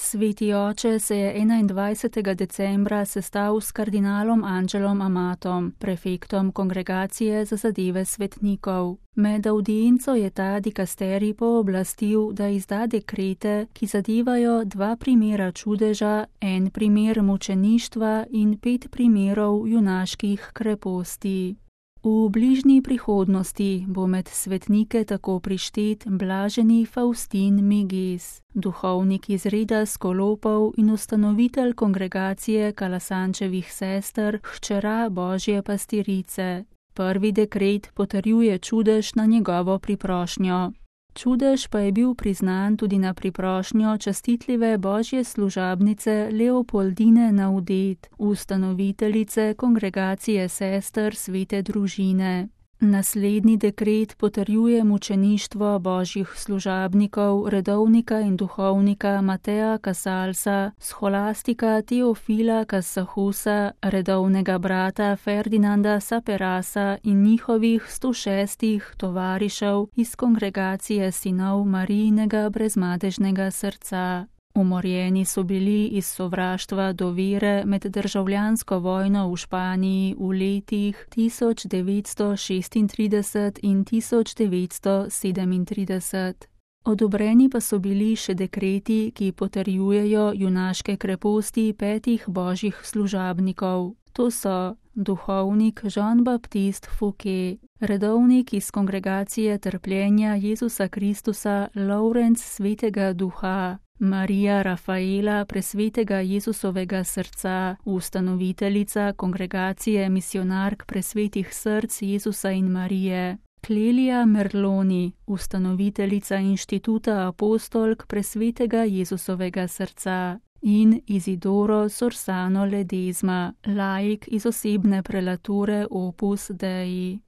Sveti oče se je 21. decembra sestal s kardinalom Angelom Amatom, prefektom Kongregacije za zadeve svetnikov. Med audienco je ta dikasterij pooblastil, da izda dekrete, ki zadevajo 2 primera čudeža, 1 primer mučeništva in 5 primerov junaških kreposti. V bližnji prihodnosti bo med svetnike tako prištet blaženi Faustin Meges, duhovnik iz reda Skolopov in ustanovitelj kongregacije Kalasančevih sester, hčera Božje pastirice. Prvi dekret potrjuje čudež na njegovo priprošnjo. Čudež pa je bil priznan tudi na priprošnjo častitljive Božje služabnice Leopoldine Naudet, ustanoviteljice kongregacije sester Svete družine. Naslednji dekret potrjuje mučeništvo Božjih služabnikov, redovnika in duhovnika Mateja Casalsa, scholastika Teofila Casahusa, redovnega brata Ferdinanda Saperasa in njihovih 106 tovarišev iz kongregacije sinov Marijinega brezmadežnega srca. Umorjeni so bili iz sovraštva do vere med državljansko vojno v Španiji v letih 1936 in 1937. Odobreni pa so bili še dekreti, ki potrjujejo junaške kreposti 5 božjih služabnikov. To so duhovnik Jean-Baptiste Fouquet, redovnik iz kongregacije trpljenja Jezusa Kristusa Lovrenc Svetega Duha, Marija Rafaela Presvetega Jezusovega srca, ustanoviteljica kongregacije misionark Presvetih src Jezusa in Marije, Clelia Merloni, ustanoviteljica inštituta apostolk Presvetega Jezusovega srca, in Isidoro Sorsano Ledezma, laik iz osebne prelature Opus Dei.